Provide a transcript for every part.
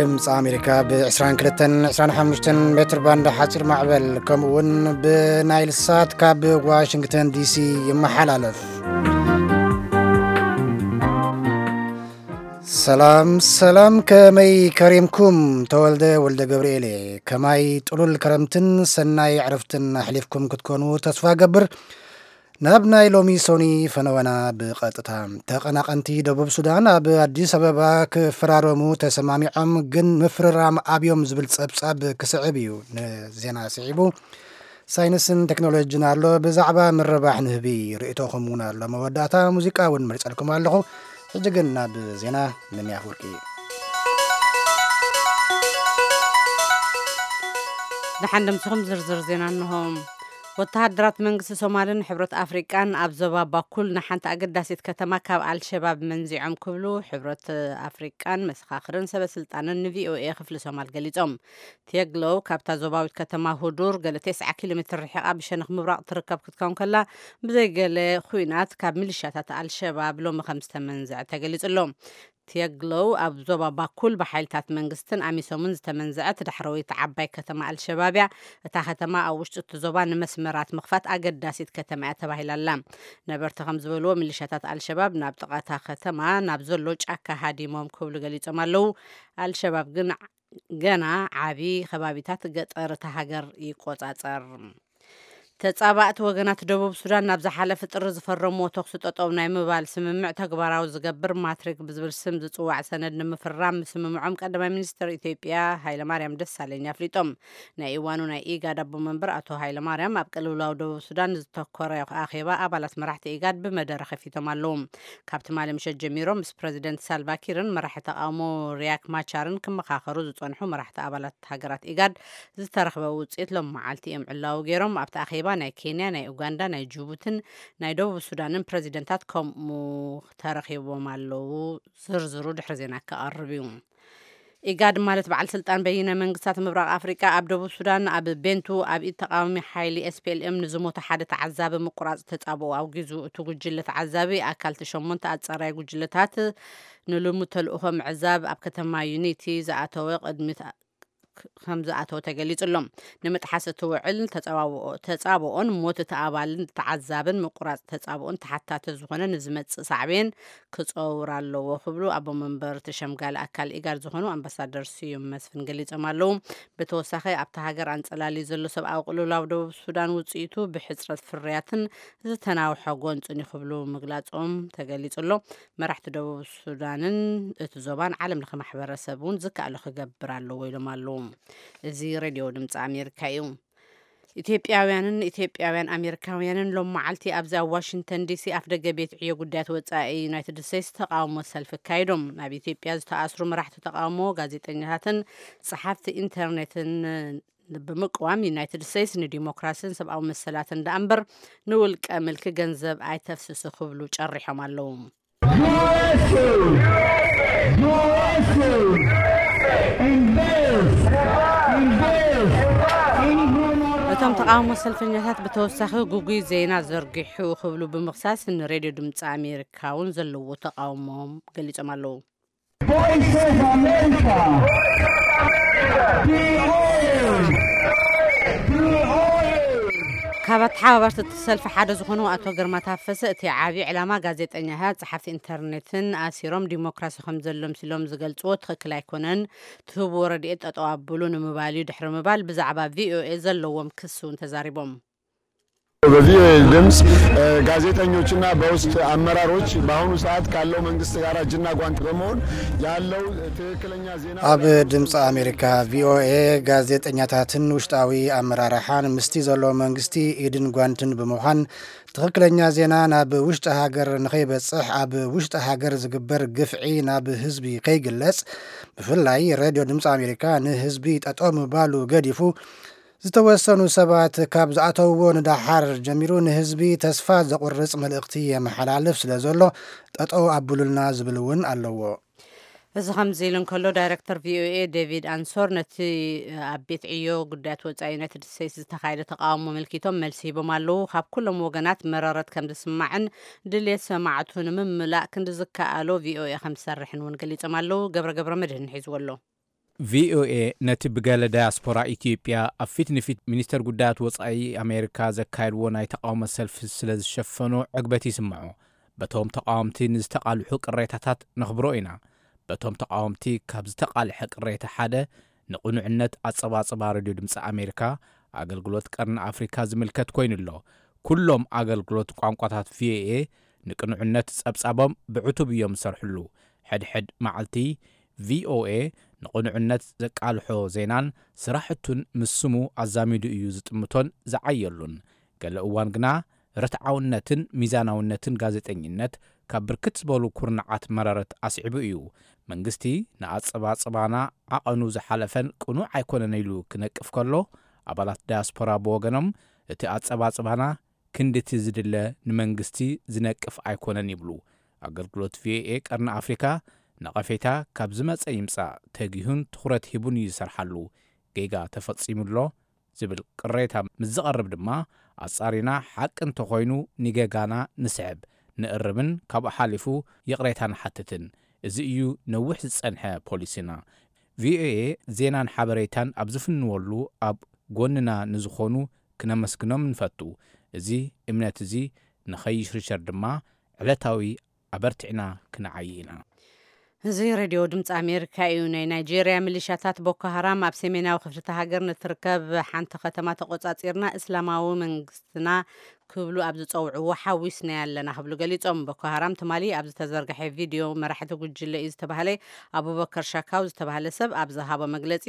ድምፂ ኣሜሪካ ብ22፣ 25 ሜትር ባንድ ሓፂር ማዕበል፣ ከምኡ እውን ብናይል ሳት ካብ ዋሽንግተን ዲሲ ይመሓላለፍ። ሰላም ሰላም፣ ከመይ ከሪምኩም? ተወልደ ወልደ ገብርኤል እየ። ከማይ ጥሉል ከረምትን ሰናይ ዕረፍትን ኣሕሊፍኩም ክትኮኑ ተስፋ ገብር። ናብ ናይ ሎሚ ሶኒ ፈነወና ብቐጥታ። ተቐናቐንቲ ደቡብ ሱዳን ኣብ ኣዲስ ኣበባ ክፈራረሙ ተሰማሚዖም፣ ግን ምፍርራም ኣብዮም ዝብል ጸብጻብ ክስዕብ እዩ ንዜና ስዒቡ። ሳይንስን ቴክኖሎጂን ኣሎ፣ ብዛዕባ ምርባሕ ንህቢ ርእይቶኹም እውን ኣሎ። መወዳእታ ሙዚቃ እውን መሪጸልኩም ኣለኹ። ሕጂ ግን ናብ ዜና። ምንያ ኣፍወርቂ። ደሓን ደምስኹም ዝርዝር ዜና እንሆ። ወተሃደራት መንግስቲ ሶማልን ሕብረት ኣፍሪቃን ኣብ ዞባ ባኩል ንሓንቲ ኣገዳሲት ከተማ ካብ ኣልሸባብ መንዚዖም ክብሉ ሕብረት ኣፍሪቃን መሰኻኽርን ሰበ ስልጣንን ንቪኦኤ ክፍሊ ሶማል ገሊጾም። ቴግሎው ካብታ ዞባዊት ከተማ ሁዱር ገለ 90 ኪሎ ሜትር ርሒቓ ብሸነኽ ምብራቕ ትርከብ ክትከውን ከላ፣ ብዘይ ገለ ኹናት ካብ ሚሊሻታት ኣልሸባብ ሎሚ ከም ዝተመንዘዐ ተገሊጹ ኣሎ። ቴግሎው ኣብ ዞባ ባኩል ብሓይልታት መንግስትን ኣሚሶምን ዝተመንዘዐት ዳሕረወይቲ ዓባይ ከተማ ኣልሸባብ እያ። እታ ከተማ ኣብ ውሽጢ እቲ ዞባ ንመስመራት ምኽፋት ኣገዳሲት ከተማ እያ ተባሂላ ኣላ። ነበርቲ ከም ዝበልዎ፣ ሚሊሻታት ኣልሸባብ ናብ ጥቓ እታ ከተማ ናብ ዘሎ ጫካ ሃዲሞም ክብሉ ገሊጾም ኣለዉ። ኣልሸባብ ግን ገና ዓቢ ከባቢታት ገጠር እታ ሃገር ይቆጻጸር። ተጻባእቲ ወገናት ደቡብ ሱዳን ናብ ዝሓለፈ ጥሪ ዝፈረምዎ ተኹሲ ጠጠው ናይ ምባል ስምምዕ ተግባራዊ ዝገብር ማትሪክ ብዝብል ስም ዝጽዋዕ ሰነድ ንምፍራም ምስምምዖም ቀዳማይ ሚኒስትር ኢትዮጵያ ሃይለማርያም ደሳለኝ ኣፍሊጦም። ናይ እዋኑ ናይ ኢጋድ ኣቦ መንበር ኣቶ ሃይለማርያም ኣብ ቅልውላው ደቡብ ሱዳን ዝተኮረ ኣኼባ ኣባላት መራሕቲ ኢጋድ ብመደረ ከፊቶም ኣለዉ። ካብ ትማሊ ምሸት ጀሚሮም ምስ ፕረዚደንት ሳልቫኪርን መራሒ ተቃውሞ ሪያክ ማቻርን ክመኻኸሩ ዝጸንሑ መራሕቲ ኣባላት ሃገራት ኢጋድ ዝተረኽበ ውጽኢት ሎም መዓልቲ እዮም ዕላዊ ገይሮም። ኣብቲ ኣኼባ ናይ ኬንያ፣ ናይ ኡጋንዳ፣ ናይ ጅቡትን ናይ ደቡብ ሱዳንን ፕረዚደንታት ከምኡ ተረኺቦም ኣለዉ። ዝርዝሩ ድሕሪ ዜና ክቐርብ እዩ። ኢጋድ ማለት በዓል ስልጣን በይነ መንግስታት ምብራቕ ኣፍሪቃ ኣብ ደቡብ ሱዳን ኣብ ቤንቱ ኣብ ኢድ ተቃዋሚ ሓይሊ ኤስፒኤልኤም ንዝሞተ ሓደ ተዓዛቢ ምቁራጽ ተጻብኦ ኣውጊዙ። እቲ ጉጅለ ተዓዛቢ ኣካል እቲ ሸሞንተ ኣጻራይ ጉጅለታት ንልሙድ ተልእኾ ምዕዛብ ኣብ ከተማ ዩኒቲ ዝኣተወ ቅድሚት ከም ዝኣተወ ተገሊጹ ኣሎ። ንምጥሓስ እቲ ውዕል ተጻባብኦ-፣ ተጻብኦን ሞት እቲ ኣባልን ተዓዛብን ምቁራጽ ተጻብኦን ተሓታቲ ዝኾነ ንዝመጽእ ሳዕቤን ክጸውር ኣለዎ ክብሉ ኣቦ መንበር እቲ ሸምጋሊ ኣካል ኢጋድ ዝኾኑ ኣምባሳደር ስዩም መስፍን ገሊጾም ኣለዉ። ብተወሳኺ ኣብታ ሃገር ኣንጸላልዩ ዘሎ ሰብኣዊ ቅልውላው ደቡብ ሱዳን ውጽኢቱ ብሕጽረት ፍርያትን ዝተናውሐ ጎንጽን እዩ ክብሉ ምግላጾም ተገሊጹ ኣሎ። መራሕቲ ደቡብ ሱዳንን እቲ ዞባን ዓለም ለኸ ማሕበረሰብ እውን ዝከኣሎ ክገብር ኣለዎ ኢሎም ኣለዉ። እዚ ሬድዮ ድምፂ ኣሜሪካ እዩ። ኢትዮጵያውያንን ኢትዮጵያውያን ኣሜሪካውያንን ሎም መዓልቲ ኣብዚ ኣብ ዋሽንግተን ዲሲ ኣፍ ደገ ቤት ዕዮ ጉዳያት ወፃኢ ዩናይትድ ስቴትስ ተቃውሞ ሰልፊ ኣካይዶም። ኣብ ኢትዮጵያ ዝተኣስሩ መራሕቲ ተቃውሞ፣ ጋዜጠኛታትን ጸሓፍቲ ኢንተርኔትን ብምቅዋም፣ ዩናይትድ ስቴትስ ንዲሞክራሲን ሰብኣዊ መሰላትን ደኣ እምበር ንውልቀ ምልኪ ገንዘብ ኣይተፍስስ ክብሉ ጨሪሖም ኣለዉ። እቶም ተቃውሞ ሰልፈኛታት ብተወሳኺ ግጉይ ዜና ዘርጊሑ ክብሉ ብምኽሳስ ንሬድዮ ድምፂ ኣሜሪካ እውን ዘለዎ ተቃውሞም ገሊጾም ኣለዉ። Voice of America. ካብ ኣተሓባበርቲ እቲ ሰልፊ ሓደ ዝኾኑ ኣቶ ግርማ ታፈሰ፣ እቲ ዓቢ ዕላማ ጋዜጠኛታት፣ ጸሓፍቲ ኢንተርኔትን ኣሲሮም ዲሞክራሲ ከም ዘሎ ምስሎም ዝገልጽዎ ትኽክል ኣይኮነን፣ ትህብዎ ረድኤት ጠጠው ኣብሉ ንምባል እዩ ድሕሪ ምባል ብዛዕባ ቪኦኤ ዘለዎም ክሲ እውን ተዛሪቦም። በቪኦኤ ድምፅ፣ እ፣ ጋዜጠኞችና በውስጥ አመራሮች በአሁኑ ሰዓት ካለው መንግስት ጋር እጅና ጓንት በመሆን ያለው ትክክለኛ ዜና ኣብ ድምፂ ኣሜሪካ ቪኦኤ ጋዜጠኛታትን ውሽጣዊ ኣመራርሓን ምስቲ ዘሎ መንግስቲ ኢድን ጓንትን ብምዃን ትኽክለኛ ዜና ናብ ውሽጢ ሃገር ንኸይበፅሕ፣ ኣብ ውሽጢ ሃገር ዝግበር ግፍዒ ናብ ህዝቢ ከይግለፅ፣ ብፍላይ ሬድዮ ድምፂ ኣሜሪካ ንህዝቢ ጠጠው ምባሉ ገዲፉ ዝተወሰኑ ሰባት ካብ ዝኣተውዎ ንደሓር ጀሚሩ ንህዝቢ ተስፋ ዘቑርጽ መልእኽቲ የመሓላልፍ ስለ ዘሎ፣ ጠጠው ኣብሉልና ዝብል እውን ኣለዎ። እዚ ከምዚ ኢሉ እንከሎ፣ ዳይረክተር ቪኦኤ ዴቪድ ኣንሶር ነቲ ኣብ ቤት ዕዮ ጉዳያት ወጻኢ ዩናይትድ ስቴትስ ዝተኻየደ ተቃውሞ ኣመልኪቶም መልሲ ሂቦም ኣለዉ። ካብ ኩሎም ወገናት መረረት ከም ዝስማዕን ድሌት ሰማዕቱ ንምምላእ ክንዲ ዝከኣሎ ቪኦኤ ከም ዝሰርሕን እውን ገሊጾም ኣለዉ። ገብረ ገብረ መድህን ሒዝዎ ኣሎ። ቪኦኤ ነቲ ብገለ ዳያስፖራ ኢትዮጵያ ኣብ ፊት ንፊት ሚኒስተር ጉዳያት ወጻኢ ኣሜሪካ ዘካየድዎ ናይ ተቓውሞ ሰልፊ ስለ ዝሸፈኖ ዕግበት ይስምዖ። በቶም ተቓወምቲ ንዝተቓልሑ ቅሬታታት ነኽብሮ ኢና። በቶም ተቓወምቲ ካብ ዝተቓልሐ ቅሬታ ሓደ ንቕኑዕነት ኣጸባጽባ ሬድዮ ድምፂ ኣሜሪካ ኣገልግሎት ቀርኒ ኣፍሪካ ዝምልከት ኮይኑ ኣሎ። ኩሎም ኣገልግሎት ቋንቋታት ቪኦኤ ንቅኑዕነት ጸብጻቦም ብዕቱብ እዮም ዝሰርሕሉ። ሕድሕድ መዓልቲ ቪኦኤ ንቕኑዕነት ዘቃልሖ ዜናን ስራሕቱን ምስ ስሙ ኣዛሚዱ እዩ ዝጥምቶን ዝዓየሉን። ገለ እዋን ግና ርትዓውነትን ሚዛናውነትን ጋዜጠኝነት ካብ ብርክት ዝበሉ ኩርናዓት መረረት ኣስዒቡ እዩ። መንግስቲ ንኣጸባጽባና ዓቐኑ ዝሓለፈን ቅኑዕ ኣይኮነን ኢሉ ክነቅፍ ከሎ፣ ኣባላት ዳያስፖራ ብወገኖም እቲ ኣጸባጽባና ክንድቲ ዝድለ ንመንግስቲ ዝነቅፍ ኣይኮነን ይብሉ። ኣገልግሎት ቪኦኤ ቀርኒ ኣፍሪካ ነቐፌታ ካብ ዝመጸ ይምጻእ ተጊሁን ትኹረት ሂቡን እዩ ዝሰርሓሉ። ጌጋ ተፈጺሙ ኣሎ ዝብል ቅሬታ ምስ ዝቐርብ ድማ ኣጻሪና ሓቂ እንተኾይኑ ንጌጋና ንስዕብ፣ ንእርምን ካብኡ ሓሊፉ ይቕሬታ ንሓትትን። እዚ እዩ ነዊሕ ዝጸንሐ ፖሊሲና። ቪኦኤ ዜናን ሓበሬታን ኣብ ዝፍንወሉ ኣብ ጎንና ንዝኾኑ ክነመስግኖም ንፈቱ። እዚ እምነት እዚ ንኸይሽርሸር ድማ ዕለታዊ ኣበርቲዕና ክንዓዪ ኢና። እዚ ሬድዮ ድምፂ ኣሜሪካ እዩ። ናይ ናይጄርያ ሚሊሻታት ቦኮ ሃራም ኣብ ሰሜናዊ ክፍልቲ ሃገር ንትርከብ ሓንቲ ከተማ ተቆጻጺርና እስላማዊ መንግስትና ክብሉ ኣብ ዝጸውዕዎ ሓዊስናያ ኣለና ክብሉ ገሊጾም። ቦኮ ሃራም ትማሊ ኣብ ዝተዘርግሐ ቪድዮ መራሕቲ ጉጅለ እዩ ዝተባህለ ኣቡበከር ሻካው ዝተባህለ ሰብ ኣብ ዝሃቦ መግለጺ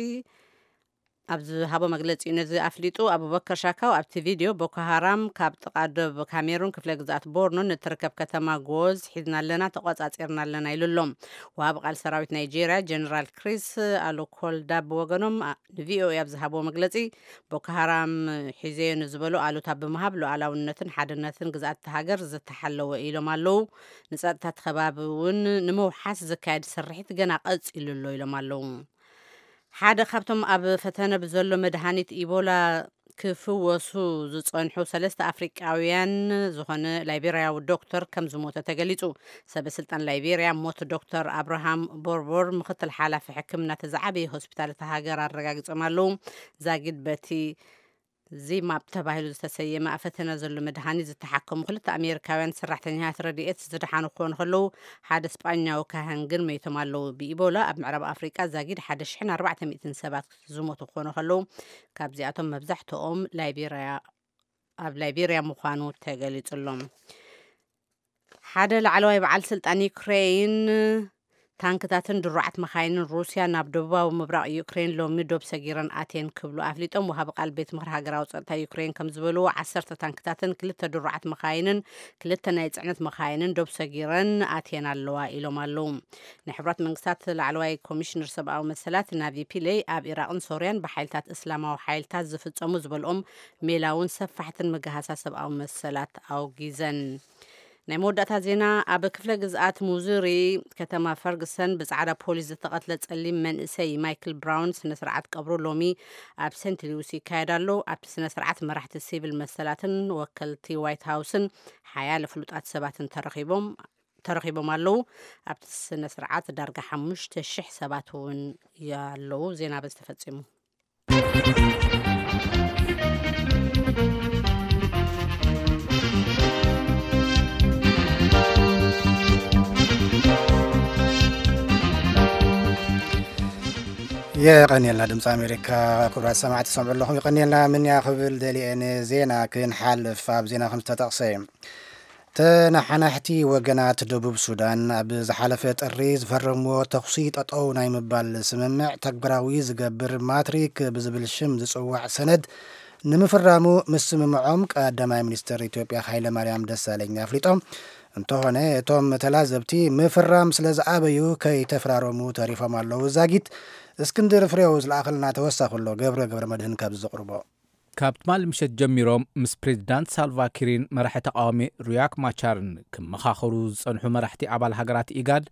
ኣብ ዝሃቦ መግለጺ እዩ ነዚ ኣፍሊጡ። ኣቡበከር ሻካው ኣብቲ ቪድዮ ቦኮ ሃራም ካብ ጥቓ ዶብ ካሜሩን ክፍለ ግዝኣት ቦርኖ ንትርከብ ከተማ ጎዝ ሒዝና ኣለና፣ ተቆጻጺርና ኣለና ኢሉ ኣሎ። ወሃቢ ቃል ሰራዊት ናይጄርያ ጀነራል ክሪስ ኣሉኮልዳ ብወገኖም ኣ- ንቪኦኤ ኣብ ዝሃብዎ መግለጺ፣ ቦኮ ሃራም ሒዘዮ ንዝበሎ ኣሉታ ብምሃብ ሉዓላውነትን ሓድነትን ግዝኣት እታ ሃገር ዝተሓለወ ኢሎም ኣለዉ። ንጸጥታ እቲ ከባቢ እውን ንምውሓስ ዝካየድ ስርሒት ገና ቀጺሉ ኣሎ ኢሎም ኣለዉ። ሓደ ካብቶም ኣብ ፈተነ ብዘሎ መድሃኒት ኢቦላ ክፍወሱ ዝጸንሑ ሰለስተ ኣፍሪቃውያን ዝኾነ ላይቤርያዊ ዶክተር ከም ዝሞተ ተገሊጹ። ሰበ ስልጣን ላይቤርያ ሞት ዶክተር ኣብርሃም ቦርቦር፣ ምክትል ሓላፊ ሕክምና እቲ ዝዓበየ ሆስፒታል እታ ሃገር ኣረጋጊጾም ኣለዉ። ዛጊድ በቲ ዚማፕ ተባሂሉ ዝተሰየመ ኣብ ፈተነ ዘሎ መድሃኒት ዝተሓከሙ ክልተ ኣሜሪካውያን ሰራሕተኛታት ረድኤት ዝደሓኑ ክኾኑ ከለዉ፣ ሓደ ስጳኛዊ ካህን ግን መይቶም ኣለዉ። ብኢቦላ ኣብ ምዕራብ ኣፍሪቃ ዛጊድ ሓደ ሽሕን ኣርባዕተ ሚእትን ሰባት ዝሞቱ ክኾኑ ከለዉ፣ ካብዚኣቶም መብዛሕትኦም ላይቤርያ ኣብ ላይቤርያ ምዃኑ ተገሊጹ ኣሎ። ሓደ ላዕለዋይ በዓል ስልጣን ዩክሬን ታንክታትን ድሩዓት መኻይንን ሩስያ ናብ ደቡባዊ ምብራቕ ዩክሬን ሎሚ ዶብ ሰጊረን ኣትየን ክብሉ ኣፍሊጦም። ወሃቢ ቃል ቤት ምኽሪ ሃገራዊ ጸጥታ ዩክሬን ከም ዝበልዎ፣ ዓሰርተ ታንክታትን ክልተ ድሩዓት መኻይንን ክልተ ናይ ጽዕነት መኻይንን ዶብ ሰጊረን ኣትየን ኣለዋ ኢሎም ኣለዉ። ናይ ሕቡራት መንግስታት ላዕለዋይ ኮሚሽነር ሰብኣዊ መሰላት ናቪ ፒለይ ኣብ ኢራቕን ሶርያን ብሓይልታት እስላማዊ ሓይልታት ዝፍጸሙ ዝበልኦም ሜላውን ሰፋሕትን ምግሃሳ ሰብኣዊ መሰላት ኣውጊዘን። ናይ መወዳእታ ዜና፣ ኣብ ክፍለ ግዝኣት ሙዙሪ ከተማ ፈርግሰን ብጻዕዳ ፖሊስ ዝተቐትለ ጸሊም መንእሰይ ማይክል ብራውን ስነ ስርዓት ቀብሩ ሎሚ ኣብ ሴንት ሉዊስ ይካየድ ኣሎ። ኣብቲ ስነ ስርዓት መራሕቲ ሲቪል መሰላትን ወከልቲ ዋይት ሃውስን ሓያለ ፍሉጣት ሰባትን ተረኺቦም ተረኺቦም ኣለዉ። ኣብቲ ስነ ስርዓት ዳርጋ ሓሙሽተ ሽሕ ሰባት እውን ኣለዉ። ዜና በዚ ተፈጺሙ። የቐንየልና ድምፂ ኣሜሪካ። ክቡራት ሰማዕቲ ትሰምዑ ኣለኹም። ይቐንየልና ምንያ ክብል ደሊየ ንዜና ክንሓልፍ፣ ኣብ ዜና ከም ዝተጠቕሰ፣ ተነሓናሕቲ ወገናት ደቡብ ሱዳን ኣብ ዝሓለፈ ጥሪ ዝፈረምዎ ተኹሲ ጠጠው ናይ ምባል ስምምዕ ተግባራዊ ዝገብር ማትሪክ ብዝብል ሽም ዝጽዋዕ ሰነድ ንምፍራሙ ምስምምዖም ቀዳማይ ሚኒስትር ኢትዮጵያ ሃይለማርያም ደሳለኝ ኣፍሊጦም። እንተኾነ እቶም ተላዘብቲ ምፍራም ስለ ዝኣበዩ ከይተፈራረሙ ተሪፎም ኣለዉ። ዛጊት እስክንድር ፍሬው ዝለኣኸልና ተወሳኺ ኣሎ። ገብረ ገብረ መድህን ካብ ዘቕርቦ። ካብ ትማሊ ምሸት ጀሚሮም ምስ ፕሬዚዳንት ሳልቫ ኪርን መራሒ ተቃዋሚ ሪያክ ማቻርን ክመኻኸሩ ዝጸንሑ መራሕቲ ኣባል ሃገራት ኢጋድ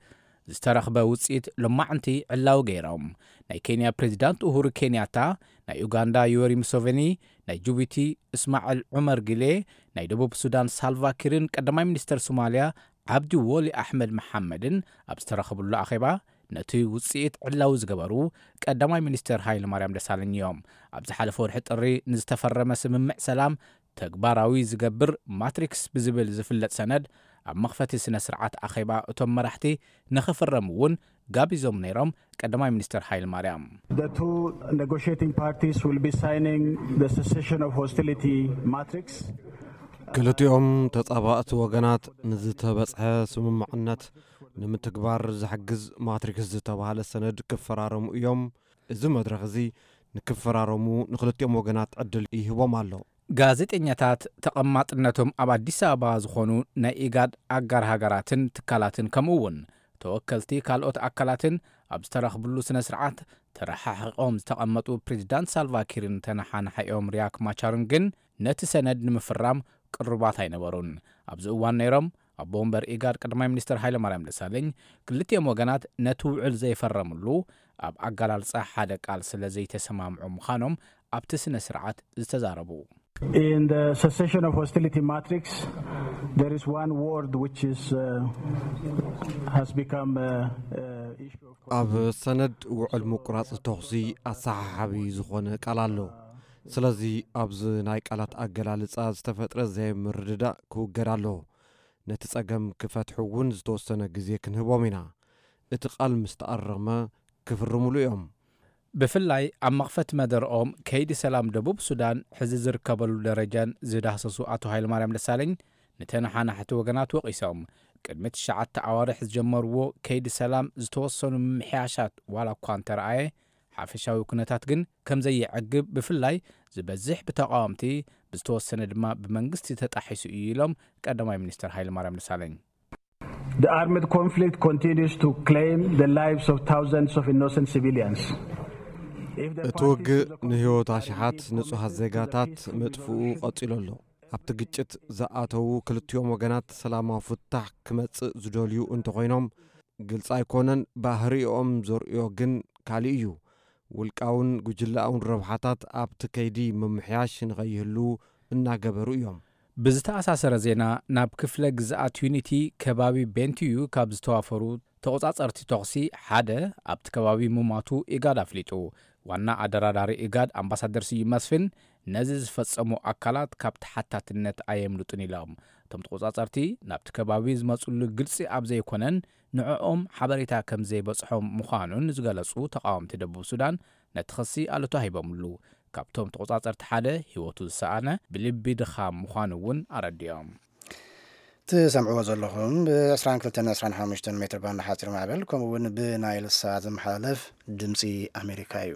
ዝተረኽበ ውጽኢት ሎማዕንቲ ዕላዊ ገይሮም። ናይ ኬንያ ፕሬዚዳንት ኡሁሩ ኬንያታ፣ ናይ ኡጋንዳ ዮወሪ ሙሰቨኒ፣ ናይ ጅቡቲ እስማዕል ዑመር ጊሌ፣ ናይ ደቡብ ሱዳን ሳልቫ ኪርን ቀዳማይ ሚኒስተር ሶማልያ ዓብዲ ወሊ ኣሕመድ መሓመድን ኣብ ዝተረኸብሉ ኣኼባ፣ ነቲ ውፅኢት ዕላዊ ዝገበሩ ቀዳማይ ሚኒስትር ሃይለ ማርያም ደሳለኝ እዮም። ኣብ ዝሓለፈ ወርሒ ጥሪ ንዝተፈረመ ስምምዕ ሰላም ተግባራዊ ዝገብር ማትሪክስ ብዝብል ዝፍለጥ ሰነድ ኣብ መኽፈቲ ስነ ስርዓት ኣኼባ እቶም መራሕቲ ንኽፍረሙ እውን ጋቢዞም ነይሮም። ቀዳማይ ሚኒስትር ሃይለ ማርያም The two negotiating parties will be signing the cessation of hostility matrix. ክልቲኦም ተጻባእቲ ወገናት ንዝተበጽሐ ስምምዕነት ንምትግባር ዝሕግዝ ማትሪክስ ዝተባህለ ሰነድ ክፈራረሙ እዮም። እዚ መድረኽ እዚ ንክፈራረሙ ንክልቲኦም ወገናት ዕድል ይህቦም ኣሎ። ጋዜጠኛታት ተቐማጥነቶም ኣብ ኣዲስ ኣበባ ዝኾኑ ናይ ኢጋድ ኣጋር ሃገራትን ትካላትን ከምኡ እውን ተወከልቲ ካልኦት ኣካላትን ኣብ ዝተረኽብሉ ስነ ስርዓት ተረሓሒቖም ዝተቐመጡ ፕሬዚዳንት ሳልቫኪርን ተነሓናሓኦም ሪያክ ማቻርን ግን ነቲ ሰነድ ንምፍራም ቅሩባት ኣይነበሩን። ኣብዚ እዋን ነይሮም ኣቦ ወንበር ኢጋድ ቀዳማይ ሚኒስትር ሃይለማርያም ደሳለኝ ክልቲኦም ወገናት ነቲ ውዕል ዘይፈረምሉ ኣብ ኣገላልጻ ሓደ ቃል ስለ ዘይተሰማምዑ ምዃኖም ኣብቲ ስነ ስርዓት ዝተዛረቡ In the cessation of hostility matrix, there is one word which is uh, has become uh, uh, issue of ኣብ ሰነድ ውዕል ምቁራጽ ተኹሲ ኣሰሓሓቢ ዝኾነ ቃል ኣሎ። ስለዚ ኣብዚ ናይ ቃላት ኣገላልጻ ዝተፈጥረ ዘይምርድዳእ ክውገድ ኣሎ። ነቲ ጸገም ክፈትሑ እውን ዝተወሰነ ግዜ ክንህቦም ኢና። እቲ ቃል ምስ ተኣረመ ክፍርምሉ እዮም። ብፍላይ ኣብ መኽፈቲ መደርኦም ከይዲ ሰላም ደቡብ ሱዳን ሕዚ ዝርከበሉ ደረጃን ዝዳህሰሱ ኣቶ ሃይለማርያም ደሳለኝ ንተነሓናሕቲ ወገናት ወቒሶም ቅድሚ ትሽዓተ ኣዋርሕ ዝጀመርዎ ከይዲ ሰላም ዝተወሰኑ ምምሕያሻት ዋላ እኳ እንተረኣየ ሓፈሻዊ ኩነታት ግን ከምዘይዕግብ ብፍላይ ዝበዝሕ ብተቃወምቲ ብዝተወሰነ ድማ ብመንግስቲ ተጣሒሱ እዩ ኢሎም ቀዳማይ ሚኒስትር ሃይለማርያም ደሳለኝ The armed conflict continues to claim the lives of thousands of innocent civilians. If the እቲ ውግእ ንህይወት ኣሽሓት ንጹሃት ዜጋታት ምጥፍኡ ቀጺሉ ኣሎ። ኣብቲ ግጭት ዝኣተዉ ክልቲኦም ወገናት ሰላማዊ ፍታሕ ክመጽእ ዝደልዩ እንተኾይኖም ግልጺ ኣይኮነን። ባህሪኦም ዘርእዮ ግን ካልእ እዩ። ውልቃውን ጉጅላውን ረብሓታት ኣብቲ ከይዲ ምምሕያሽ ንኸይህሉ እናገበሩ እዮም። ብዝተኣሳሰረ ዜና ናብ ክፍለ ግዝኣት ዩኒቲ ከባቢ ቤንቲዩ ካብ ዝተዋፈሩ ተቆጻጸርቲ ተኹሲ ሓደ ኣብቲ ከባቢ ምማቱ ኢጋድ ኣፍሊጡ። ዋና ኣደራዳሪ ኢጋድ ኣምባሳደር ስዩም መስፍን ነዚ ዝፈጸሙ ኣካላት ካብ ተሓታትነት ኣየምልጡን ኢሎም። እቶም ተቆጻጸርቲ ናብቲ ከባቢ ዝመጽሉ ግልጺ ኣብ ዘይኮነን ንዕኦም ሓበሬታ ከም ዘይበጽሖም ምዃኑን ዝገለጹ ተቃወምቲ ደቡብ ሱዳን ነቲ ክሲ ኣሉታ ሂቦምሉ። ካብቶም ተቆጻጸርቲ ሓደ ህይወቱ ዝሰኣነ ብልቢ ድኻም ምዃኑ እውን ኣረዲኦም። ትሰምዕዎ ዘለኹም ብ22 25 ሜትር ባንድ ሓፂር ማዕበል ከምኡ እውን ብናይል ሳት ዝመሓላለፍ ድምፂ ኣሜሪካ እዩ።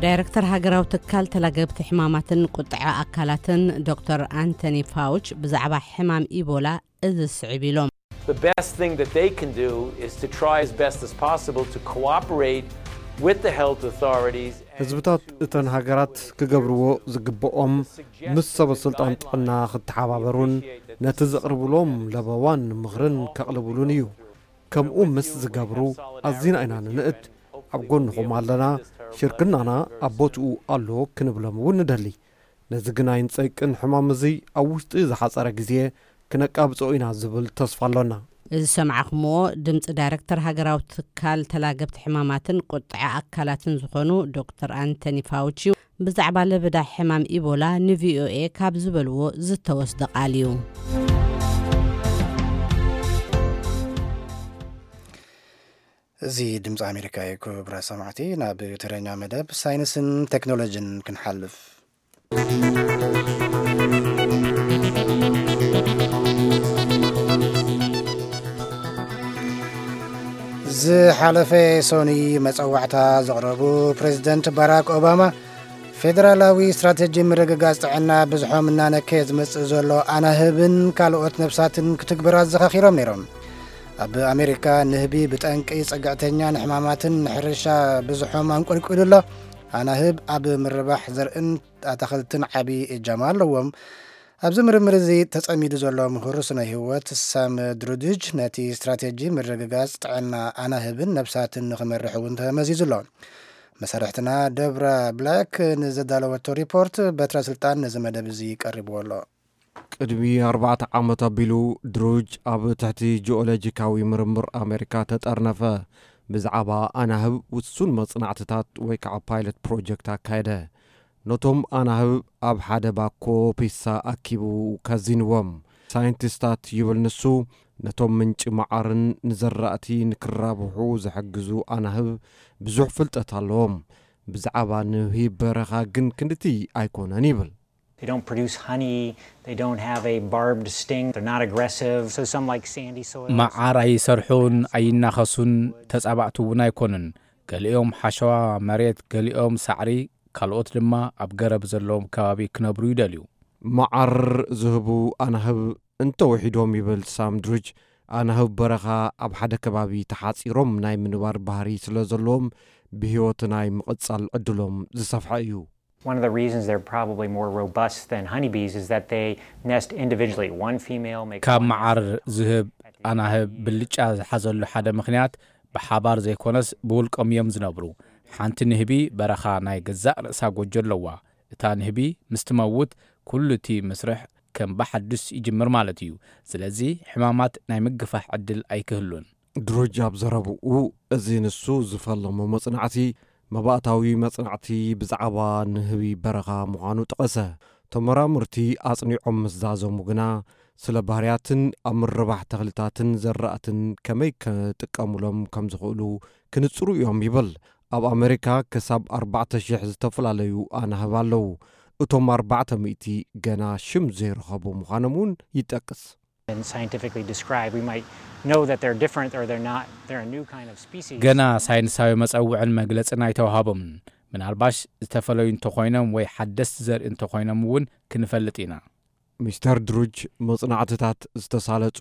ዳይረክተር ሃገራዊ ትካል ተላገብቲ ሕማማትን ቁጥዐ ኣካላትን ዶክተር ኣንቶኒ ፋውች ብዛዕባ ሕማም ኢቦላ እዚ ስዕብ ኢሎም። The best thing that they can do is to try as best as possible to cooperate with the health authorities. ህዝብታት እተን ሃገራት ክገብርዎ ዝግብኦም ምስ ሰበ ስልጣን ጥዕና ክተሓባበሩን ነቲ ዘቕርብሎም ለበዋን ምኽርን ከቕልብሉን እዩ። ከምኡ ምስ ዝገብሩ ኣዚና ኢና ንንእድ። ኣብ ጎንኹም ኣለና፣ ሽርክናና ኣብ ቦትኡ ኣሎ ክንብሎም እውን ንደሊ። ነዚ ግን ኣይንጸይቅን። ሕማም እዚ ኣብ ውሽጢ ዝሓጸረ ግዜ ክነቃብጾ ኢና ዝብል ተስፋ ኣሎና። እዚ ዝሰማዕኹምዎ ድምፂ ዳይረክተር ሃገራዊ ትካል ተላገብቲ ሕማማትን ቁጥዐ ኣካላትን ዝኾኑ ዶክተር ኣንቶኒ ፋውች እዩ። ብዛዕባ ለበዳ ሕማም ኢቦላ ንቪኦኤ ካብ ዝበልዎ ዝተወስደ ቃል እዩ። እዚ ድምፂ ኣሜሪካ እዩ። ክቡራት ሰማዕቲ፣ ናብ ተረኛ መደብ ሳይንስን ቴክኖሎጂን ክንሓልፍ። ዝሓለፈ ሶኒ መጸዋዕታ ዘቕረቡ ፕሬዚደንት ባራክ ኦባማ፣ ፌደራላዊ ስትራተጂ ምርግጋጽ ጥዕና ብዝሖም እናነከየ ዝመጽእ ዘሎ ኣናህብን ካልኦት ነፍሳትን ክትግብር ኣዘኻኺሮም ነይሮም። ኣብ ኣሜሪካ ንህቢ ብጠንቂ ጽግዕተኛ ንሕማማትን ንሕርሻ ብዝሖም ኣንቆልቂሉ ኣሎ። ኣናህብ ኣብ ምርባሕ ዘርእን ኣታኽልትን ዓቢ እጃማ ኣለዎም። ኣብዚ ምርምር እዚ ተጸሚዱ ዘሎ ምሁር ስነ ህይወት ሳም ድሩድጅ ነቲ ስትራቴጂ ምርግጋጽ ጥዕና ኣናህብን ነፍሳትን ንኽመርሕ እውን ተመዚዙ ኣሎ። መሳርሕትና ደብራ ብላክ ንዘዳለወቶ ሪፖርት በትረ ስልጣን ነዚ መደብ እዚ ቀሪብዎ ኣሎ። ቅድሚ ኣርባዕተ ዓመት ኣቢሉ ድሩጅ ኣብ ትሕቲ ጂኦሎጂካዊ ምርምር ኣሜሪካ ተጠርነፈ። ብዛዕባ ኣናህብ ውሱን መጽናዕትታት ወይ ከዓ ፓይለት ፕሮጀክት ኣካየደ። ነቶም ኣናህብ ኣብ ሓደ ባኮ ፒሳ ኣኪቡ ከዚንዎም። ሳይንቲስታት ይብል ንሱ፣ ነቶም ምንጪ መዓርን ንዘራእቲ ንክራብሑ ዝሕግዙ ኣናህብ ብዙሕ ፍልጠት ኣለዎም። ብዛዕባ ንህቢ በረኻ ግን ክንድቲ ኣይኮነን ይብል። They don't produce honey, they don't have a barbed sting, they're not aggressive. So some like sandy soils. መዓር ኣይሰርሑን ኣይናኸሱን፣ ተጻባእቲ እውን ኣይኮኑን። ገሊኦም ሓሸዋ መሬት፣ ገሊኦም ሳዕሪ፣ ካልኦት ድማ ኣብ ገረብ ዘለዎም ከባቢ ክነብሩ ይደልዩ። መዓር ዝህቡ ኣናህብ እንተወሒዶም ይብል ሳም ድሩጅ፣ ኣናህብ በረኻ ኣብ ሓደ ከባቢ ተሓጺሮም ናይ ምንባር ባህሪ ስለ ዘለዎም ብህይወት ናይ ምቕጻል ዕድሎም ዝሰፍሐ እዩ። One of the reasons they're probably more robust than honeybees is that they nest individually. One female makes ካብ one መዓር nest. ዝህብ ኣናህብ ብልጫ ዝሓዘሉ ሓደ ምኽንያት ብሓባር ዘይኮነስ ብውልቆም እዮም ዝነብሩ። ሓንቲ ንህቢ በረኻ ናይ ገዛእ ርእሳ ጎጆ ኣለዋ። እታ ንህቢ ምስ ትመውት ኩሉ እቲ መስርሕ ከም ብሓዱስ ይጅምር ማለት እዩ። ስለዚ ሕማማት ናይ ምግፋሕ ዕድል ኣይክህሉን። ድሩጅ ኣብ ዘረብኡ፣ እዚ ንሱ ዝፈለሞ መጽናዕቲ መባእታዊ መጽናዕቲ ብዛዕባ ንህቢ በረኻ ምዃኑ ጠቐሰ። ተመራመርቲ ኣጽኒዖም ምስ ዛዘሙ ግና፣ ስለ ባህርያትን ኣብ ምርባሕ ተኽልታትን ዘራእትን ከመይ ክጥቀሙሎም ከም ዝኽእሉ ክንጽሩ እዮም ይብል። ኣብ ኣመሪካ ክሳብ ኣርባዕተ ሽሕ ዝተፈላለዩ ኣናህብ ኣለዉ። እቶም ኣርባዕተ ሚእቲ ገና ሽም ዘይረኸቡ ምዃኖም እውን ይጠቅስ። And scientifically described, we might know that they're different or they're not, they're a new kind of species. ገና ሳይንሳዊ መጸውዕን መግለጽን ኣይተዋህቦምን። ምናልባሽ ዝተፈለዩ እንተኾይኖም ወይ ሓደስቲ ዘርኢ እንተኾይኖም እውን ክንፈልጥ ኢና። ሚስተር ድሩጅ፣ መጽናዕትታት ዝተሳለጹ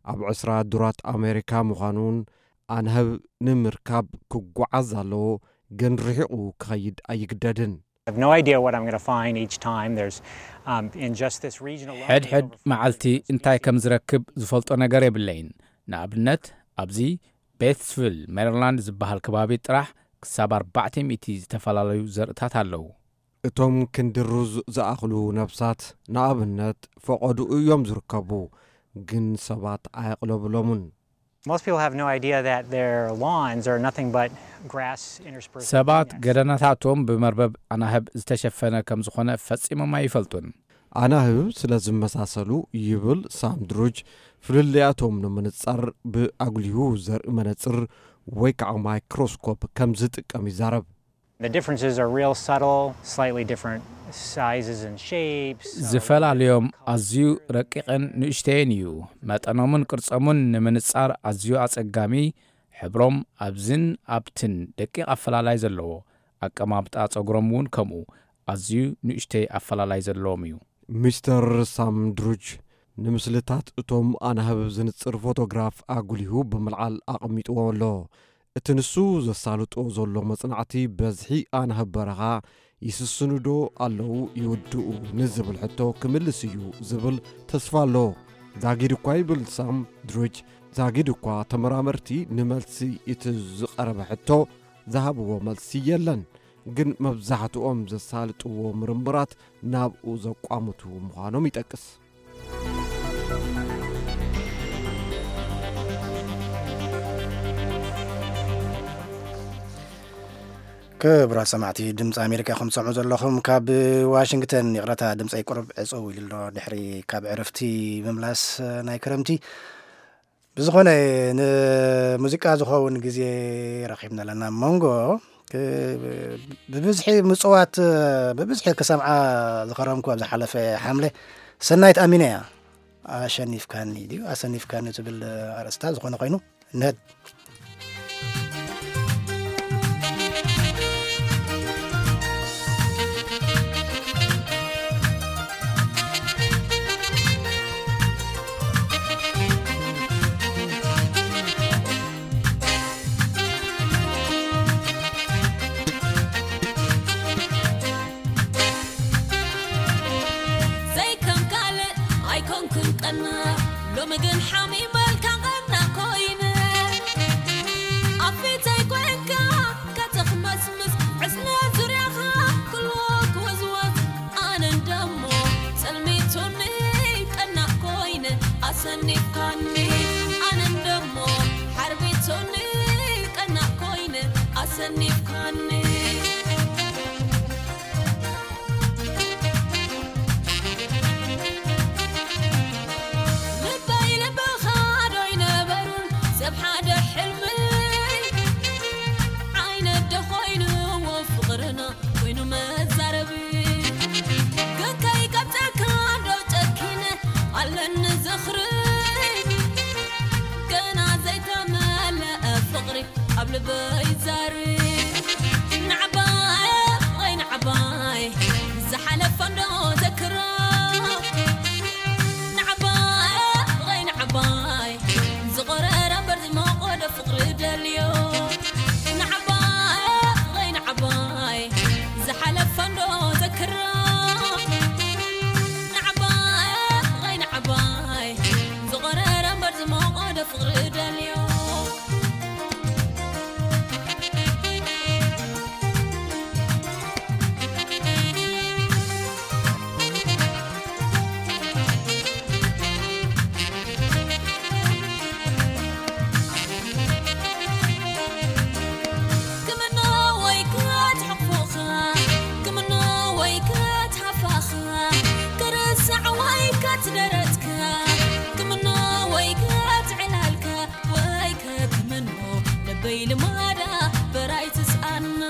ኣብ ዕስራ ዱራት ኣሜሪካ ምዃኑን ኣንህብ ንምርካብ ክጓዓዝ ኣለዎ፣ ግን ርሒቑ ክኸይድ ኣይግደድን። I have no idea what I'm going to find each time. There's, um, in just this region alone, there's ሕድሕድ over መዓልቲ እንታይ ከም ዝረክብ ዝፈልጦ ነገር የብለይን። ንኣብነት ኣብዚ ቤትስቪል ሜሪላንድ ዝበሃል ከባቢ ጥራሕ ክሳብ ኣርባዕተ ሚእቲ ዝተፈላለዩ ዘርእታት ኣለዉ። እቶም ክንዲ ሩዝ ዝኣኽሉ ነብሳት፣ ንኣብነት፣ ፈቐድኡ እዮም ዝርከቡ፣ ግን ሰባት ኣየቕለብሎምን። Most people have no idea that their lawns are nothing but grass interspersed with ሰባት thorny ገደናታቶም ብመርበብ ኣናህብ ዝተሸፈነ ከም ዝኾነ ፈጺሞም ኣይፈልጡን። ኣናህብ ስለ ዝመሳሰሉ ይብል ሳም ድሩጅ፣ ፍልልያቶም ንምንጻር ብኣጉሊሁ ዘርኢ መነጽር ወይ ከዓ ማይክሮስኮፕ ከም ዝጥቀም ይዛረብ። The differences are real subtle, slightly different sizes and shapes. So ዝፈላለዮም ኣዝዩ ረቂቕን ንእሽተይን እዩ። መጠኖምን ቅርጾምን ንምንጻር ኣዝዩ ኣጸጋሚ፣ ሕብሮም ኣብዝን ኣብትን ደቂቕ ኣፈላላይ ዘለዎ፣ ኣቀማምጣ ጸጉሮም እውን ከምኡ ኣዝዩ ንእሽተይ ኣፈላላይ ዘለዎም እዩ። ሚስተር ሳም ድሩጅ ንምስልታት እቶም ኣናህብ ዝንጽር ፎቶግራፍ ኣጉሊሁ ብምልዓል ኣቐሚጥዎ ኣሎ። እቲ ንሱ ዘሳልጦ ዘሎ መጽናዕቲ፣ በዝሒ ኣናህብ በረኻ ይስስኑዶ ኣለዉ ይውድኡ ንዝብል ሕቶ ክምልስ እዩ ዝብል ተስፋ ኣሎ። ዛጊድ እኳ ይብል ሳም ድሩጅ፣ ዛጊድ እኳ ተመራመርቲ ንመልሲ እቲ ዝቐረበ ሕቶ ዝሃብዎ መልሲ የለን። ግን መብዛሕትኦም ዘሳልጥዎ ምርምራት ናብኡ ዘቋምቱ ምዃኖም ይጠቅስ። ክቡራት ሰማዕቲ ድምፂ ኣሜሪካ ከም ትሰምዑ ዘለኹም ካብ ዋሽንግተን፣ ይቕረታ ድምፀይ ቁሩብ ዕፅው ኢሉ ኣሎ ድሕሪ ካብ ዕረፍቲ ምምላስ ናይ ክረምቲ። ብዝኾነ ንሙዚቃ ዝኸውን ግዜ ረኺብና ኣለና። መንጎ ክ- ብብዝሒ ምፅዋት ብብዝሒ ክሰምዓ ዝኸረምኩ ኣብ ዝሓለፈ ሓምለ ሰናይት ኣሚነ እያ። ኣሸኒፍካኒ ድዩ ኣሰኒፍካኒ ዝብል ኣርእስታ ዝኾነ ኮይኑ ንህድ ዘይከም ካልእ ኣይኮንኩን ቀና ሎሚ ግን ሓሚመልካ ቀና ኮይነ ኣብ ፊተይ ኮንካ ከተኽመስምስ ዕስለ ዙርያኻ ክልዎ ክወዝወዝ ኣነ እንደሞ ጸልሚቱኒ ኣኒፍካኒ። ልበይ ልብኻ ዶ ኣይነበሩን ሰብ ሓደ ሕልሚ? ዓይነት ዶ ኮይንዎ ፍቕርና ኮይኑ መዛረቢ? ግን ከይቀብጸካ ዶ ጨኪነ ኣለኒ ዝኽሪ? ገና ዘይተመለአ ፍቕሪ ኣብ ልበይ ዛሪ። ንዓባይ ወይ ንዓባይ ዝሓለፈ እንዶ ዘክሮ። ንዓባይ ወይ ንዓባይ ዝቆረረ እምበር ዝሞቆ ዶ ፍቕሪ ደልዮ። ንዓባይ ወይ ንዓባይ ዝሓለፈ እንዶ ዘክሮ። ንዓባይ ወይ ንዓባይ ዝቆረረ እምበር ዝሞቆ ዶ ፍቕሪ ደልዮ። ክምኖ ወይ ክትሕቁፍኻ፣ ክምኖ ወይ ክትሃፋኻ፣ ክርሳዕ ወይ ክትደረትካ፣ ክምኖ ወይ ክትዕላልካ፣ ወይ ከክምኖ ልበይ ልማዳ በራይ ትስኣኖ።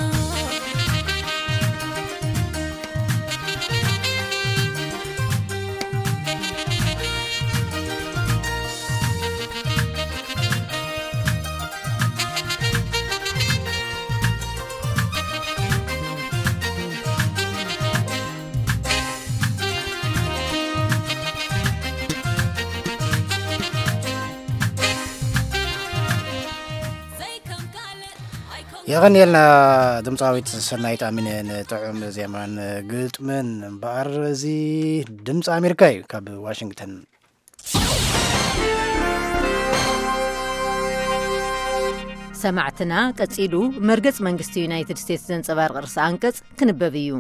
የቐንየልና ድምፃዊት ሰናይት ኣሚነ ንጥዑም ዜማን ግጥምን። እምበኣር እዚ ድምፂ ኣሜሪካ እዩ ካብ ዋሽንግተን። ሰማዕትና፣ ቀጺሉ መርገጽ መንግስቲ ዩናይትድ ስቴትስ ዘንጸባርቕ ርእሰ ኣንቀጽ ክንበብ እዩ።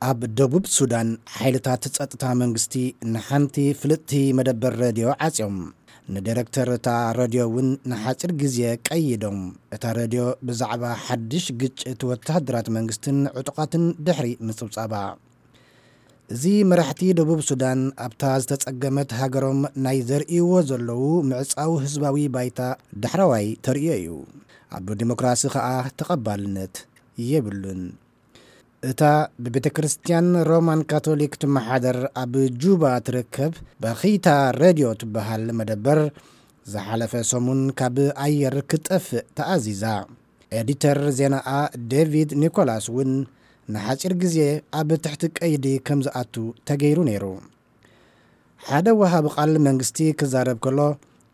ኣብ ደቡብ ሱዳን ሓይልታት ጸጥታ መንግስቲ ንሓንቲ ፍልጥቲ መደበር ሬድዮ ዓጽዮም። ንዳይረክተር እታ ሬድዮ እውን ንሓጺር ግዜ ቀይዶም። እታ ሬድዮ ብዛዕባ ሓድሽ ግጭት ወተሃደራት መንግስትን ዕጡቓትን ድሕሪ ምጽብጻባ። እዚ መራሕቲ ደቡብ ሱዳን ኣብታ ዝተጸገመት ሃገሮም ናይ ዘርእይዎ ዘለዉ ምዕጻው ህዝባዊ ባይታ ዳሕረዋይ ተርእዮ እዩ። ኣብ ዲሞክራሲ ከኣ ተቐባልነት የብሉን። እታ ብቤተ ክርስቲያን ሮማን ካቶሊክ ትመሓደር ኣብ ጁባ ትርከብ በኺታ ሬድዮ ትበሃል መደበር ዝሓለፈ ሰሙን ካብ ኣየር ክትጠፍእ ተኣዚዛ። ኤዲተር ዜናኣ ዴቪድ ኒኮላስ እውን ንሓጺር ግዜ ኣብ ትሕቲ ቀይዲ ከም ዝኣቱ ተገይሩ ነይሩ። ሓደ ወሃቢ ቃል መንግስቲ ክዛረብ ከሎ፣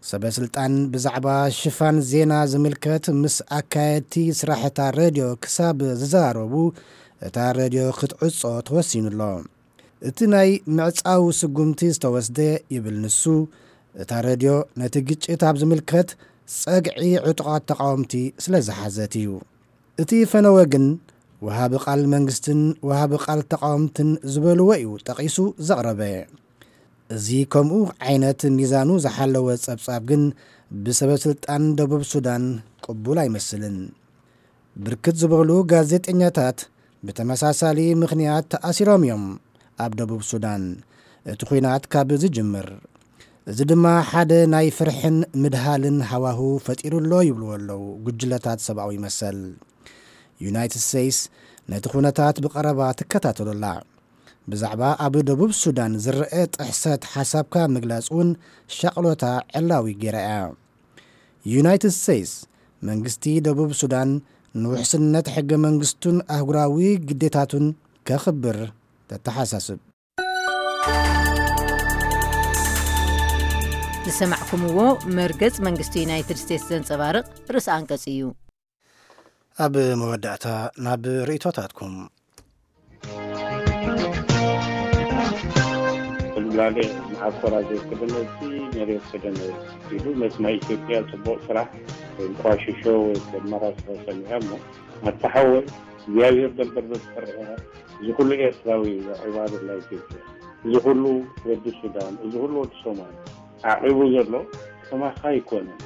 ሰበ ስልጣን ብዛዕባ ሽፋን ዜና ዝምልከት ምስ ኣካየድቲ ስራሕታ ሬድዮ ክሳብ ዝዘራረቡ እታ ሬድዮ ክትዕጾ ተወሲኑ ኣሎ። እቲ ናይ ምዕጻው ስጉምቲ ዝተወስደ፣ ይብል ንሱ፣ እታ ሬድዮ ነቲ ግጭት ኣብ ዝምልከት ጸግዒ ዕጡቓት ተቓወምቲ ስለ ዝሓዘት እዩ። እቲ ፈነወ ግን ወሃቢ ቃል መንግስትን ወሃቢ ቃል ተቓወምትን ዝበልዎ እዩ ጠቒሱ ዘቕረበ። እዚ ከምኡ ዓይነት ሚዛኑ ዝሓለወ ጸብጻብ ግን ብሰበ ስልጣን ደቡብ ሱዳን ቅቡል ኣይመስልን። ብርክት ዝበሉ ጋዜጠኛታት ብተመሳሳሊ ምኽንያት ተኣሲሮም እዮም ኣብ ደቡብ ሱዳን እቲ ኲናት ካብ ዝጅምር። እዚ ድማ ሓደ ናይ ፍርሕን ምድሃልን ሃዋሁ ፈጢሩ ኣሎ ይብልዎ ኣለዉ ጉጅለታት ሰብኣዊ መሰል። ዩናይትድ ስቴትስ ነቲ ኩነታት ብቐረባ ትከታተሎ ኣላ። ብዛዕባ ኣብ ደቡብ ሱዳን ዝረአ ጥሕሰት ሓሳብካ ምግላጽ እውን ሻቕሎታ ዕላዊ ገይራ እያ። ዩናይትድ ስቴትስ መንግስቲ ደቡብ ሱዳን ንውሕስነት ሕገ መንግስቱን ኣህጉራዊ ግዴታቱን ከኽብር ተተሓሳስብ። ዝሰማዕኩምዎ መርገጽ መንግስቲ ዩናይትድ ስቴትስ ዘንጸባርቕ ርእሲ ኣንቀጽ እዩ። ኣብ መወዳእታ ናብ ርእይቶታትኩም። ብላሌ መዓኮራ ዘይክደነሲ መሬት ክደነ ኢሉ ነቲ ናይ ኢትዮጵያ ጽቡቕ ስራሕ ወይ እንቋሽሾ ወይ ከመራስሖ ሰሚዐ እሞ ኣታ ሓወይ እግዚኣብሔር ደንበርበር ትፈርሕ ኢኻ። እዚ ኩሉ ኤርትራዊ እዩ ዕባድላ ኢትዮጵያ፣ እዚ ኩሉ ወዲ ሱዳን፣ እዚ ኩሉ ወዲ ሶማል ዓቂቡ ዘሎ ከማኻ ኣይኮነን።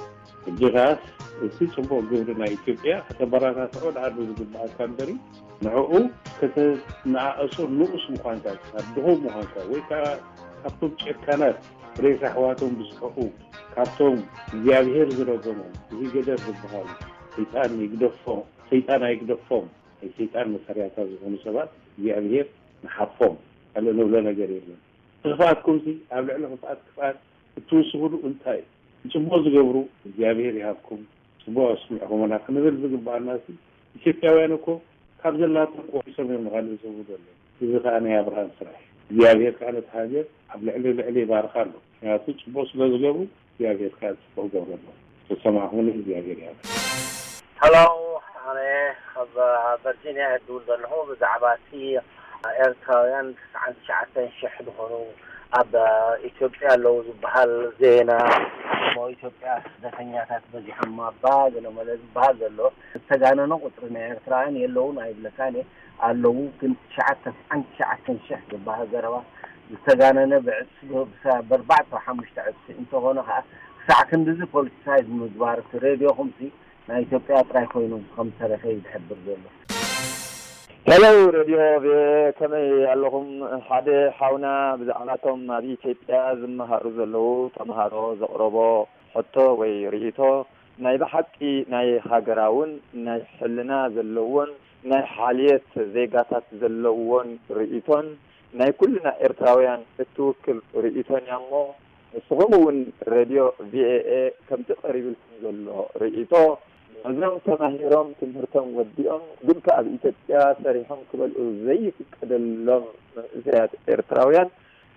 ሕጂ ከኣስ እቲ ጽቡቕ ግብሪ ናይ ኢትዮጵያ ከተበረታትዖ ደኣ ዝግብኣካ እምበሪ፣ ንዕኡ ከተነኣእሶ ንኡስ ምዃንካ፣ ድኹም ምዃንካ፣ ወይ ከኣ ካብቶም ጨካናት፣ ሬሳ ኣሕዋቶም ዝስሕቑ፣ ካብቶም እግዚኣብሄር ዝረገሞም፣ እዚ ገደር ዝበሃሉ፣ ሰይጣን ይግደፎም፣ ሰይጣን ኣይግደፎም፣ ናይ ሰይጣን መሳርያታት ዝኾኑ ሰባት እግዚኣብሄር ንሓፎም፣ ካልእ ንብሎ ነገር የለን። ክፍኣትኩምሲ ኣብ ልዕሊ ክፍኣት ክፍኣት እትውስኽሉ እንታይ እዩ? ንጽቡቕ ዝገብሩ እግዚኣብሄር ይሃብኩም፣ ጽቡቕ ኣስሚዕኹምና ክንብል ዝግብኣናሲ፣ ኢትዮጵያውያን እኮ ካብ ዘላቶም ቆሪሶም እዮም ንኻልእ ዝህቡ ዘለዉ። እዚ ከኣ ናይ ኣብርሃም ስራሕ እዩ። እግዚኣብሄር ከኣ ነቲ ሃገር ኣብ ልዕሊ ልዕሊ ይባርኻ ኣሎ። ምኽንያቱ ጽቡቕ ስለ ዝገብሩ እግዚኣብሄር ከኣ ጽቡቕ ይገብረሎም። ዝተሰማዕኹምኒ እግዚኣብሄር ይሃብኩም። ሀሎ፣ ኣነ ካብ ቨርጂኒያ እየ ዝድውል ዘለኹ። ብዛዕባ እቲ ኤርትራውያን ትስዓን ትሽዓተን ሽሕ ዝኾኑ ኣብ ኢትዮጵያ ኣለዉ ዝበሃል ዜና፣ እሞ ኢትዮጵያ ስደተኛታት በዚሖም ኣባ ገለመለ ዝበሃል ዘሎ፣ ዝተጋነነ ቁፅሪ ናይ ኤርትራውያን የለውን ኣይብለካን እየ፣ ኣለዉ። ግን ትሽዓተ ትስዓን ትሽዓተን ሽሕ ዝበሃል ዘረባ ዝተጋነነ፣ ብዕፅፊ ብኣርባዕተ ሓሙሽተ ዕፅፊ እንተኾነ ከዓ፣ ክሳዕ ክንድዚ ፖለቲሳይዝ ምግባር እቲ ሬድዮኹምሲ ናይ ኢትዮጵያ ጥራይ ኮይኑ ከም ዝተረፈ እዩ ዝሕብር ዘሎ። ሄሎ ሬድዮ ቪኦኤ፣ ከመይ ኣለኹም? ሓደ ሓውና ብዛዕባቶም ኣብ ኢትዮጵያ ዝመሃሩ ዘለዉ ተምሃሮ ዘቕረቦ ሕቶ ወይ ርእይቶ፣ ናይ ብሓቂ ናይ ሃገራውን ናይ ሕልና ዘለዎን ናይ ሓልየት ዜጋታት ዘለዎን ርእይቶን ናይ ኩልና ኤርትራውያን እትውክል ርእይቶን እያ እሞ፣ ንስኹም እውን ሬድዮ ቪኦኤ ከምቲ ቀሪብልኩም ዘሎ ርእይቶ፣ ነዞም ተማሂሮም ትምህርቶም ወዲኦም ግን ከኣ ኣብ ኢትዮጵያ ሰሪሖም ክበልዑ ዘይፍቀደሎም መንእሰያት ኤርትራውያን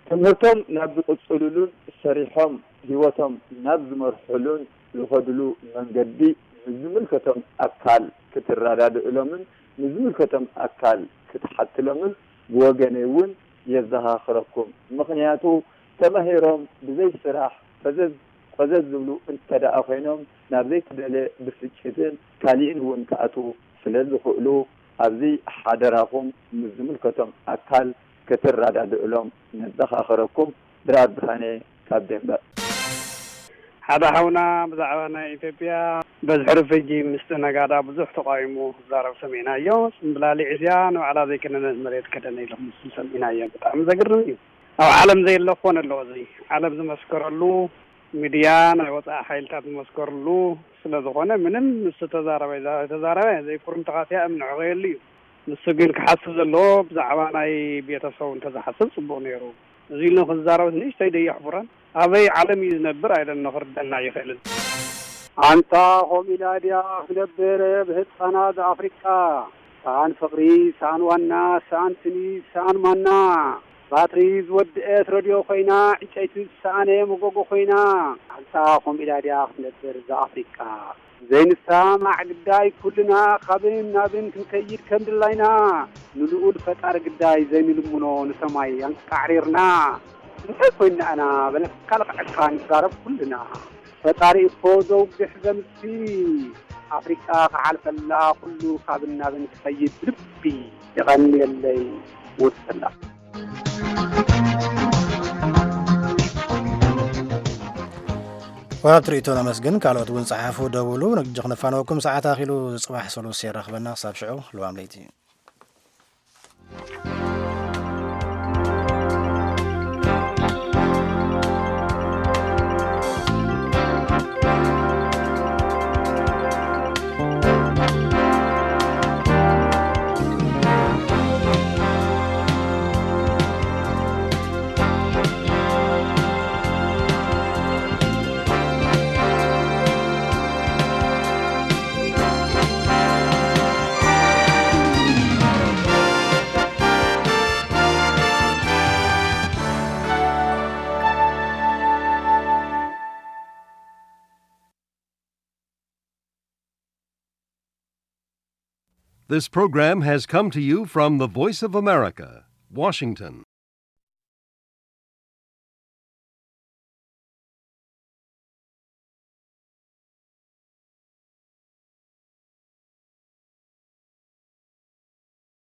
ትምህርቶም ናብ ዝቕጽልሉን ሰሪሖም ህይወቶም ናብ ዝመርሕሉን ዝኸድሉ መንገዲ ንዝምልከቶም ኣካል ክትረዳድእሎምን ንዝምልከቶም ኣካል ክትሓትሎምን ብወገነይ እውን የዘኻኽረኩም። ምኽንያቱ ተማሂሮም ብዘይ ስራሕ ፈዘዝ ቆዘዝ ዝብሉ እንተደኣ ኮይኖም ናብ ዘይተደልየ ብስጭትን ካሊእን እውን ክኣትዉ ስለ ዝኽእሉ ኣብዚ ሓደራኹም ምስ ዝምልከቶም ኣካል ክትረዳድእሎም ነዘኻኽረኩም። ድራር ብርሃነ ካብ ዴንቨር። ሓደ ሓውና ብዛዕባ ናይ ኢትዮጵያ በዝሒ ርፍጂ ምስቲ ነጋዳ ብዙሕ ተቃዊሙ ክዛረብ ሰሚዕናዮ። ጽምብላሊዕ እዚኣ ንባዕላ ዘይከነነት መሬት ከደነ ኢልኩም ምስቲ ሰሚዕናዮ። ብጣዕሚ ዘግርም እዩ። ኣብ ዓለም ዘየለ ክኾን ኣለዎ። እዚ ዓለም ዝመስከረሉ፣ ሚድያ ናይ ወፃኢ ሓይልታት ዝመስከርሉ ስለ ዝኾነ ምንም ምስ ተዛረበ ተዛረበ ዘይኩርምቲ ካትያ እምንዕቐየሉ እዩ። ንሱ ግን ክሓስብ ዘለዎ ብዛዕባ ናይ ቤተሰቡ እንተዝሓስብ ፅቡቕ ነይሩ። እዚ ኢሉ ክዛረብ ንእሽተይ ደየሕፍረን ኣበይ ዓለም እዩ ዝነብር ኣይደን ንኽርደና ይኽእልን። ኣንታ ኾም ኢላ ድያ ክነብር ብህፃናት ኣፍሪቃ። ሰኣን ፍቕሪ፣ ሰኣን ዋና፣ ሰኣን ስኒ፣ ሰኣን ማና። ባትሪ ዝወድአት ረድዮ ኮይና፣ ዕጨይቲ ዝሰኣነ መጎጎ ኮይና። ኣንታ ኾም ኢላ ድያ ክነብር እዛ ኣፍሪቃ። ዘይንሰማማዕ ግዳይ ኩልና ካብን ናብን ክንከይድ ከም ድላይና፣ ንልኡል ፈጣሪ ግዳይ ዘይንልምኖ ንሰማይ ኣንቃዕሪርና። እንታይ ኮይንና ኣና በለካ ልቕዐካ ንዛረብ ኩልና። ፈጣሪ እኮ ዘውግሕ ዘምሲ፣ ኣፍሪቃ ክሓልፈላ ኩሉ ካብን ናብን ክኸይድ ብልቢ። የቐንየለይ። ወሰላ። ወሃብቲ ርእይቶ ነመስግን። ካልኦት እውን ጸሓፉ፣ ደውሉ። ንግዲ ክነፋነወኩም ሰዓት ኣኺሉ። ጽባሕ ሰሉስ የራኽበና። ክሳብ ሽዑ ልዋም ለይቲ። This program has come to you from the Voice of America, Washington.